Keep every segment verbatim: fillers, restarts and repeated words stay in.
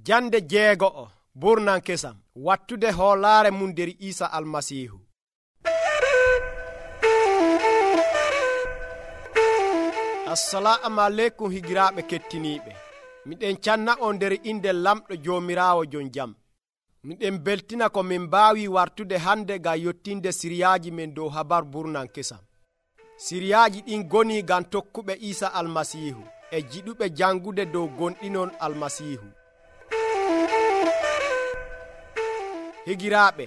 Jande jeego'o burnan kesam wattude hoolaare mum nder Iisa Almasiihu. Assalamu aleykum higiraaɓe kettiniiɓe. Miɗen canna on nder inde lamɗo Joomiraawo jon jam. Miɗen beltina ko min mbaawi wartude hande ngam yottinde siriyaaji men dow habar burnan kesam. Siriyaaji ɗin goni ngam tokkuɓe Iisa Almasiihu e jiɗuɓe jangude dow gonɗinon Almasiihu. Higiraaɓe,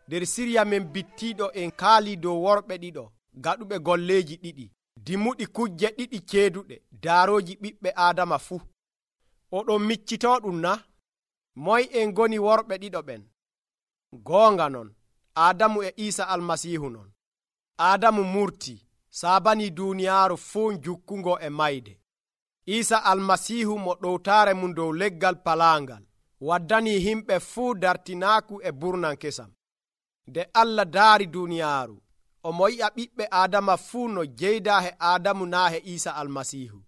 nder siriya men bittiiɗo en kaali dow worɓe ɗiɗo gaɗuɓe golleeji ɗiɗi, dimuɗi kujje ɗiɗi ceeduɗe daarooji ɓiɓɓe Aadama fuu. Oɗon miccitooɗum na? Moy en goni worɓe ɗiɗo ɓen? Goonga non, Aadamu e Iisa Almasiihu non. Aadamu murtii, saabanii duuniyaaru fuu jukkungo e mayde. Iisa Almasiihu mo ɗowtaare mum dow leggal palaangal waddanii himɓe fuu dartinaaku e burnan kesam. Nde Allah daari duuniyaaru, omo yi'a ɓiɓɓe Aadama fuu no jeydaa he Aadamu naa he Iisa Almasiihu.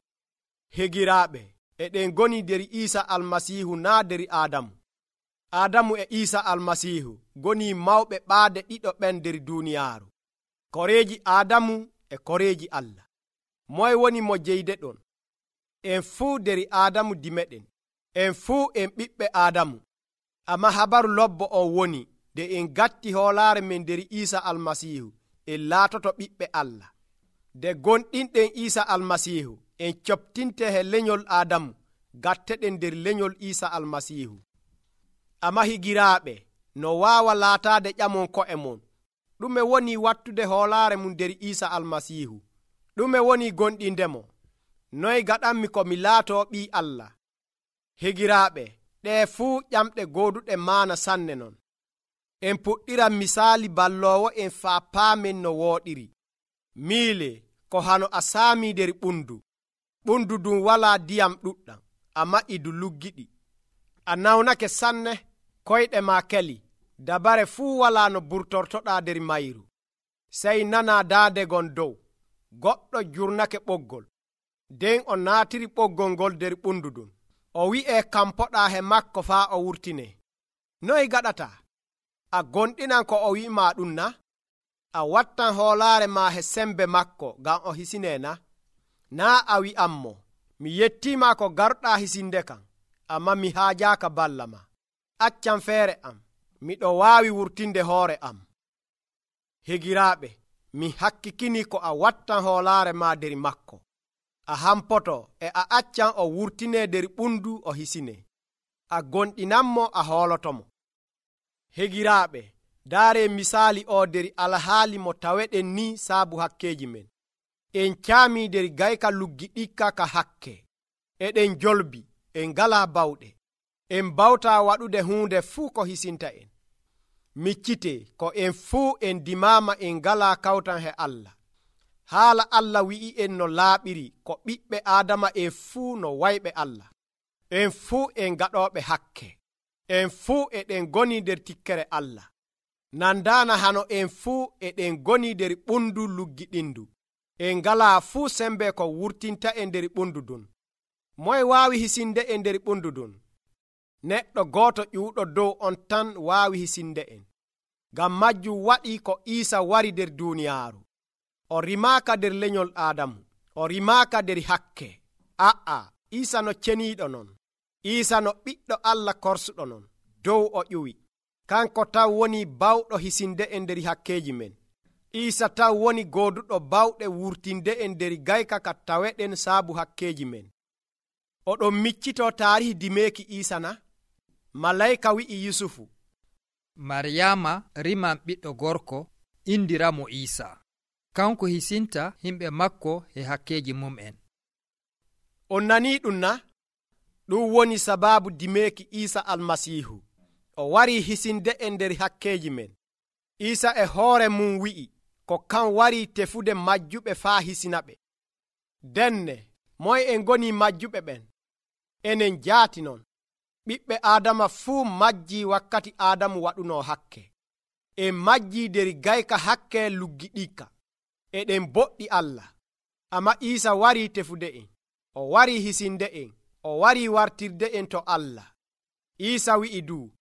Higiraaɓe, eɗen goni nder Iisa Almasiihu naa nder Aadamu. Aadamu e Iisa Almasiihu goni mawɓe ɓaade ɗiɗo ɓen nder duuniyaaru, koreeji Aadamu e koreeji Allah. Moy woni mo jeydeɗon? En fuu nder Aadamu dimeɗen, en fuu en ɓiɓɓe Aadamu. Amma habaru lobbo on woni nde en gatti hoolaare men nder Iisa Almasiihu en laatoto ɓiɓɓe Allah. Nde gonɗinɗen Iisa Almasiihu en coptinte he lenyol Aadamu gatteɗen nder lenyol Iisa Almasiihu. Amma higiraaɓe, no waawa laataade ƴamon ko'e mon, ɗume woni wattude hoolaare mum nder Iisa Almasiihu? Ɗume woni gonɗindemo? Noy gaɗanmi ko mi laatoo ɓii Allah? Higiraaɓe, ɗee fuu ƴamɗe gooduɗe maana sanne non. En puɗɗiran misaali balloowo en faa paamen no wooɗiri. Miile ko hano a saamii nder ɓundu. Ɓundu ɗum walaa diyam ɗuɗɗam, amma idu luggiɗi. A nawnake sanne, koyɗe maa keli, dabare fuu walaa no burtortoɗaa nder mayru. Sey nanaa daande gon dow, goɗɗo jurnake ɓoggol. Nden o naatiri ɓoggol ngol nder ɓundu ɗum. O wi'ee kampoɗaa he makko faa o wurtinee. Noy gaɗataa? A gonɗinan ko o wi'imaa ɗum na? A wattan hoolaare maa he sembe makko ngam o hisinee na? Naa a wi'ammo, mi yettiima ko garɗaa hisinde kam, amma mi haajaaka balla ma. Accan feere am, miɗo waawi wurtinde hoore am. Higiraaɓe, mi hakkikini ko a wattan hoolaare maa nder makko. A hampoto e a accan o wurtinee nder ɓundu o hisinee. A gonɗinanmo a hoolotomo. Higiraaɓe, daaree misaali o nder alhaali mo taweɗen ni saabu hakkeeji men. En caamii nder gayka luggiɗikka ka hakke. Eɗen jolbi, en ngalaa bawɗe. En bawtaa waɗude huunde fuu ko hisinta en. Miccitee ko en fuu en dimaama en ngalaa kawtan he Allah. Haala Allah wi'i en no laaɓiri ko ɓiɓɓe Aadama en fuu no wayɓe Allah. En fuu en gaɗooɓe hakke. En fuu eɗen goni nder tikkere Allah. Nandaana hano en fuu eɗen goni nder ɓundu luggiɗindu. En ngalaa fuu sembe ko wurtinta en nder ɓundu ɗum. Moy waawi hisinde en nder ɓundu ɗum? Neɗɗo gooto ƴuuɗo dow on tan waawi hisinde en. Ngam majjum waɗi ko Iisa wari nder duuniyaaru. O rimaaka nder lenyol Aadamu. O rimaaka nder hakke. A'a, Iisa no ceniiɗo non. Iisa no ɓiɗɗo Allah korsuɗo non. Dow o ƴuwi. Kanko taw woni bawɗo hisinde en nder hakkeeji men. Iisa taw woni gooduɗo bawɗe wurtinde en nder gayka ka taweɗen saabu hakkeeji men. Oɗon miccitoo taarihi dimeeki Iisa na? Malayka wi'i Yusufu, Maryaama riman ɓiɗɗo gorko indiramo Iisa. Kanko hisinta himɓe makko he hakkeeji mum'en. On nanii ɗum na? Ɗum woni sabaabu dimeeki Iisa Almasiihu. O warii hisinde en nder hakkeeji men. Iisa e hoore mum wi'i ko kan warii tefude majjuɓe faa hisinaɓe. Denne, moy en goni majjuɓe ɓen? Enen jaati non. Ɓiɓɓe Aadama fuu majjii wakkati Aadamu waɗunoo hakke. En majjii nder gayka hakke luggiɗikka. Eɗen boɗɗi Allah. Amma Iisa warii tefude en. O warii hisinde en. O warii wartirde en to Allah. Iisa wi'i du,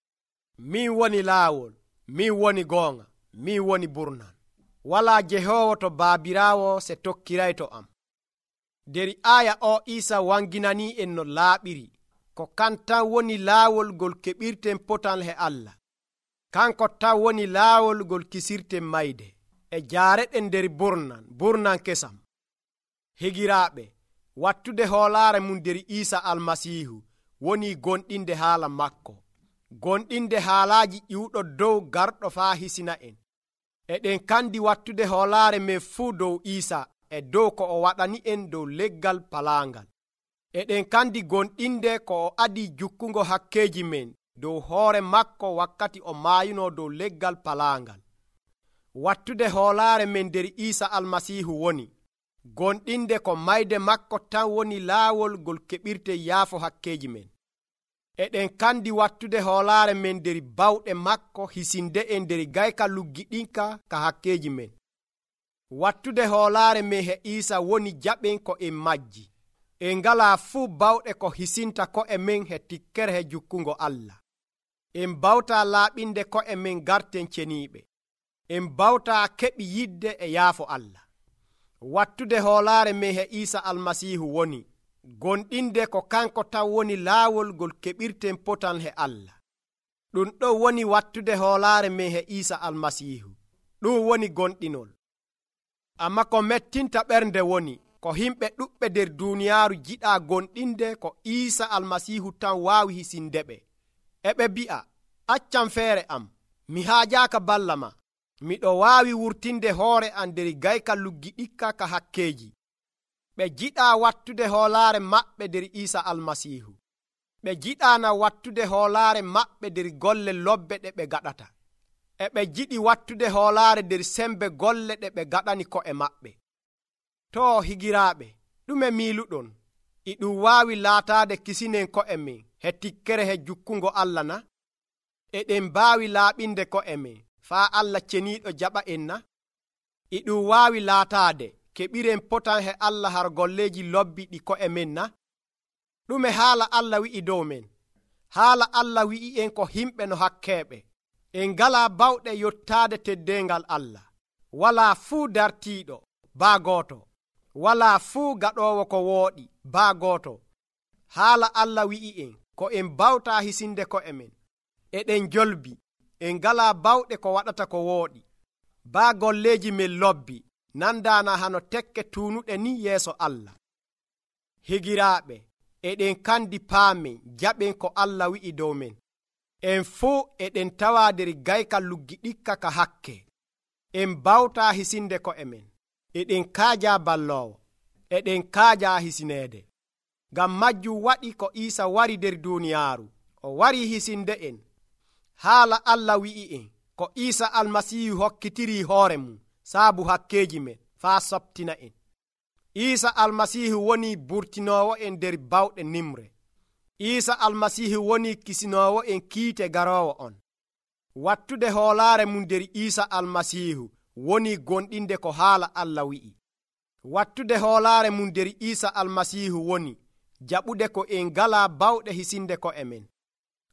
min woni laawol, min woni goonga, min woni burnan. Walaa jehoowo to baabiraawo se tokkirayto am. Der aya o Iisa wanginanii en no laaɓiri, ko kan tan woni laawol ngol keɓirten potal he Allah. Kanko tan woni laawol ngol kisirten mayde, e jaareɗen nder burnan, burnan kesam. Higiraaɓe, wattude hoolaare mum nder Iisa Almasiihu woni gonɗinde haala makko, gonɗinde haalaaji ƴiwɗo dow garɗo faa hisina en. Eɗen kandi wattude hoolaare men fuu dow Iisa e dow ko o waɗani en dow leggal palaangal. Eɗen kandi gonɗinde ko o adii jukkungo hakkeeji men dow hoore makko wakkati o maayuno dow leggal palaangal. Wattude hoolaare men nder Iisa Almasiihu woni gonɗinde ko mayde makko tan woni laawol ngol keɓirten yaafo hakkeeji men. Eɗen kandi wattude hoolaare men nder bawɗe makko hisinde en nder gayka luggiɗinka ka hakkeeji men. Wattude hoolaare men he Iisa woni jaɓen ko en majji. En ngalaa fuu bawɗe ko hisinta ko'e men he tikkere he jukkungo Allah. En bawtaa laaɓinde ko'e men garten ceniiɓe. En bawtaa keɓi yidde e yaafo Allah. Wattude hoolaare men he Iisa Almasiihu woni gonɗinde ko kanko tan woni laawol ngol keɓirten potal he Allah. Ɗum ɗo woni wattude hoolaare men he Iisa Almasiihu. Ɗum woni gonɗinol. Amma ko mettinta ɓernde woni ko himɓe ɗuɓɓe nder duuniyaaru jiɗaa gonɗinde ko Iisa Almasiihu tan waawi hisindeɓe. Eɓe bi'a, accam feere am, mi haajaaka balla ma. Miɗo waawi wurtinde hoore am nder gayka luggiɗikka ka hakkeeji. Ɓe jiɗaa wattude hoolaare maɓɓe nder Iisa Almasiihu. Ɓe jiɗaana wattude hoolaare maɓɓe nder golle lobbe ɗe ɓe gaɗata. E ɓe jiɗi wattude hoolaare nder sembe golle ɗe ɓe gaɗani ko'e maɓɓe. Too higiraaɓe, ɗume miiluɗon? E ɗum waawi laataade kisinen ko'e men he tikkere he jukkungo Allah na? Eɗen mbaawi laaɓinde ko'e men faa Allah ceniiɗo jaɓa en na? E ɗum waawi laataade keɓiren potan he Allah har golleeji lobbi ɗi ko'e men na? Ɗume haala Allah wi'i dow men? Haala Allah wi'i en ko himɓe no hakkeeɓe. En ngalaa bawɗe yottaade teddeengal Allah. Walaa fuu dartiiɗo, baa gooto. Walaa fuu gaɗoowo ko wooɗi, baa gooto. Haala Allah wi'i en ko en bawtaa hisinde ko'e men. Eɗen jolbi, en ngalaa bawɗe ko waɗata ko wooɗi. Baa golleeji men lobbi, nandaana hano tekke tuunuɗe ni yeeso Allah. Higiraaɓe, eɗen kandi paamen jaɓen ko Allah wi'i dow men. En fuu eɗen tawaa nder gayka luggiɗikka ka hakke. En bawtaa hisinde ko'e men. Eɗen kaajaa balloowo. Eɗen kaajaa hisineede. Ngam majjum waɗi ko Iisa wari nder duuniyaaru. O warii hisinde en. Haala Allah wi'i en ko Iisa Almasiihu hokkitirii hoore mum saabu hakkeeji men faa soptina en. Iisa Almasiihu woni burtinoowo en nder bawɗe nimre. Iisa Almasiihu woni kisinoowo en kiite garoowo on. Wattude hoolaare mum nder Iisa Almasiihu woni gonɗinde ko haala Allah wi'i. Wattude hoolaare mum nder Iisa Almasiihu woni jaɓude ko en ngalaa bawɗe hisinde ko'e men.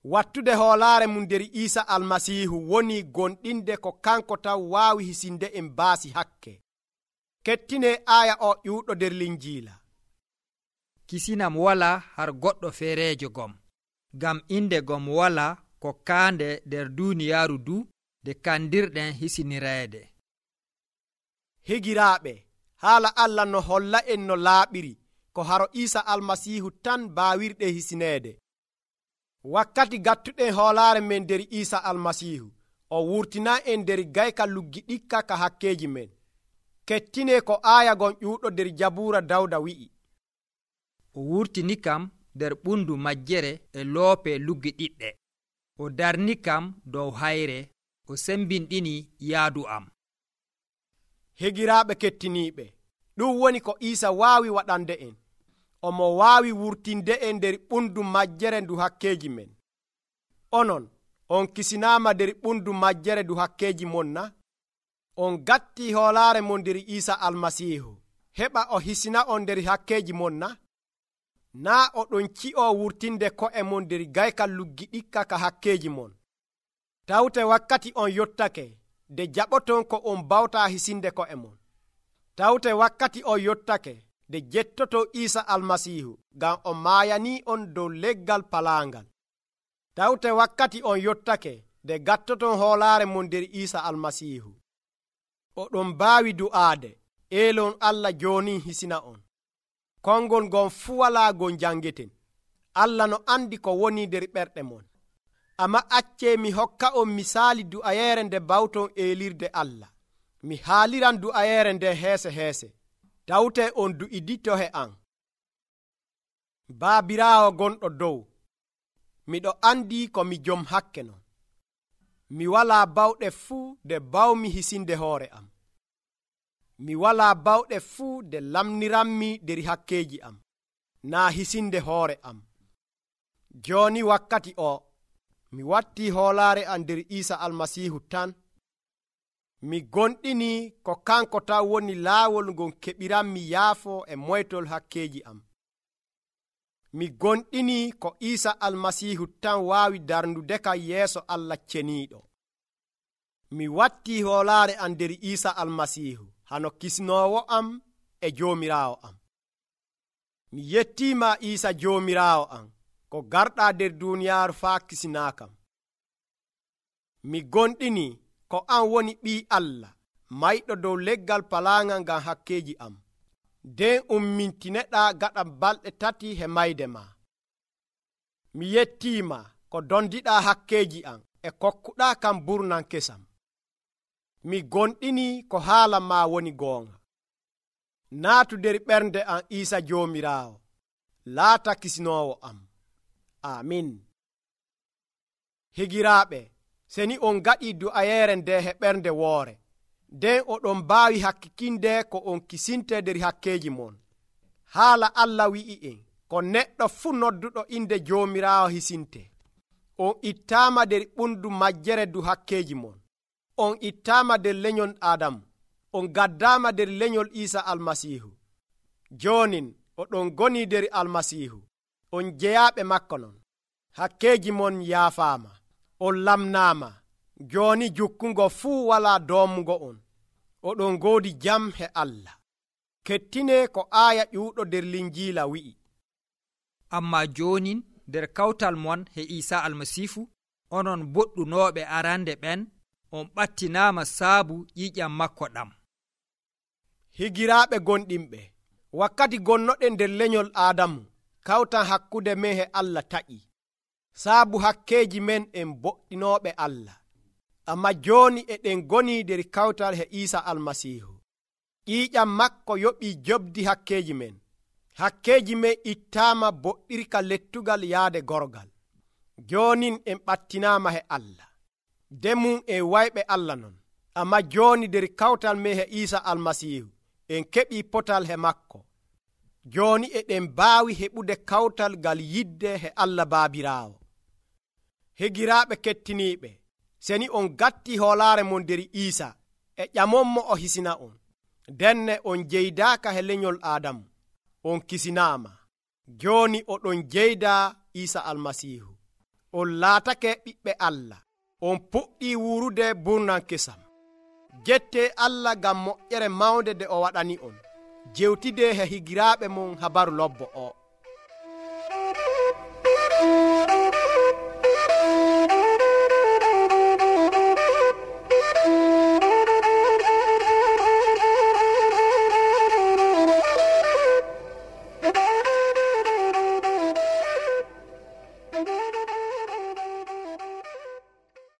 Wattude hoolaare mum nder Iisa Almasiihu woni gonɗinde ko kanko tan waawi hisinde en baasi hakke. Kettine aya o ƴiwɗo nder Linjiila. Kisinam wala har goɗɗo feereejo gom, ngam inde gom wala ko kaande nder duuniyaaru du nde kandirɗen hisinireede. Higiraaɓe, haala Allah no holla en no laaɓiri ko haro Iisa Almasiihu tan baawirɗe hisineede. Wakkati gattuɗen hoolaare men nder Iisa Almasiihu, o wurtina en nder gayka luggiɗikka ka hakkeeji men. Kettine ko aya gon ƴuuɗo nder Jabuura Dawda wi'i. O wurtini kam nder ɓundu majjere e loope luggiɗiɗɗe. O darni kam dow hayre, o sembinɗini yaadu am. Higiraaɓe kettiniiɓe, ɗum woni ko Iisa waawi waɗande en. Omo waawi wurtinde en nder ɓundu majjere ndu hakkeeji men. Onon, on kisinaama nder ɓundu majjere ndu hakkeeji mon na? On gatti hoolaare mon nder Iisa Almasiihu, heɓa o hisina on nder hakkeeji mon na? naa oɗon ci'o wurtinde ko'e mon nder gaykal luggi ɗikka ka hakkeji mon. Tawte wakkati on yottake de jaɓoton ko on bawta hisinde ko'e mon. Tawte wakkati on yottake de jettoto Iisa Almasiihu ngam o maayani on dow leggal palaangal. Tawte wakkati on yottake de gattoton hoolaare mon nder Iisa Almasiihu. Oɗon mbaawi du'aade, eelon Allah jooni hisina on. Kongol ngon fuu walaa gon jangeten. Allah no andi ko woni nder ɓerɗe mon. Amma accee mi hokka on misaali du'ayeere nde bawton eelirde Allah. Mi haaliran du'ayeere nde heese heese. Tawte on du'idito he an. Baabiraawo gonɗo dow, miɗo andi ko mi jom hakke non. Mi walaa bawɗe fuu de bawmi hisinde hoore am. Mi walaa bawɗe fuu de lamniranmi der hakkeji am, naa hisinde hoore am. Jooni wakkati o, mi wattii hoolaare am nder Iisa Almasiihu tan. Mi gonɗini ko kanko tan woni laawol ngon keɓiranmi yaafo e moytol hakkeji am. Mi gonɗini ko Iisa Almasiihu tan waawi darnude kam yeeso Allah ceniiɗo. Mi wattii hoolaare am nder Iisa Almasiihu hano kisnoowo am e joomiraawo am. Mi yettiima Iisa joomiraawo am ko garɗaa nder duuniyaaru faa kisinaakam. Mi gonɗini ko an woni ɓii Allah mayɗo dow leggal palaangal ngam hakkeji am. Nden ummintineɗaa gaɗa balɗe tati he mayde ma. Mi yettiima ko dondiɗaa hakkeji am e kokkuɗaa kam burnan kesam. Mi gonɗini ko haala ma woni goonga. Naatu nder ɓernde am Iisa joomiraawo, laata kisinoowo am. Amin. Higiraaɓe, seni on gaɗii du'ayeere nde he ɓernde woore, nden oɗon mbaawi hakkikinde ko on kisinte nder hakkeji mon. Haala Allah wi'i en ko neɗɗo fuu nodduɗo inde joomiraawo hisinte. On ittaama nder ɓundu majjere du hakkeji mon. On ittaama nder lenyol Adamu. On gaddaama nder lenyol Iisa Almasiihu. Joonin oɗon goni nder Almasiihu. On jeyaaɓe makko non. Hakkeji mon yaafaama. On lamnaama. Jooni jukkungo fuu walaa doomugo on. Oɗon ngoodi jam he Allah. Kettine ko aaya ƴuuɗo nder Linjiila wi'i. Amma joonin nder kawtal mon he Iisa Almasiihu, onon boɗɗunooɓe arande ɓen, on ɓattinaama saabu ƴiiƴam makko ɗam. Higiraaɓe gonɗinɓe, wakkati gonnoɗen nder lenyol Aadamu, kawtan hakkude men he Allah taƴi. Saabu hakkeji men en boɗɗinooɓe Allah. Amma jooni eɗen goni nder kawtal he Iisa Almasiihu. ƴiiƴam makko yoɓii jobdi hakkeji men. Hakkeji men ittaama boɗɗirka lettugal yaade gorgal. Joonin en ɓattinaama he Allah. Demum en wayɓe Allah non. Amma jooni nder kawtal men he Iisa Almasiihu en keɓii potal he makko. Jooni eɗen mbaawi heɓude kawtal ngal yidde he Allah Baabiraawo. Higiraaɓe kettiniiɓe, seni on gatti hoolaare mon nder Iisa e ƴamonmo o hisina on, denne on jeydaaka he lenyol Aadamu, on kisinaama. Jooni oɗon jeydaa Iisa Almasiihu. On laatake ɓiɓɓe Allah. On puɗɗii wuurude burnan kesam. Jette Allah ngam moƴƴere mawnde de o waɗani on. Jewtide he higiraaɓe mon habaru lobbo o.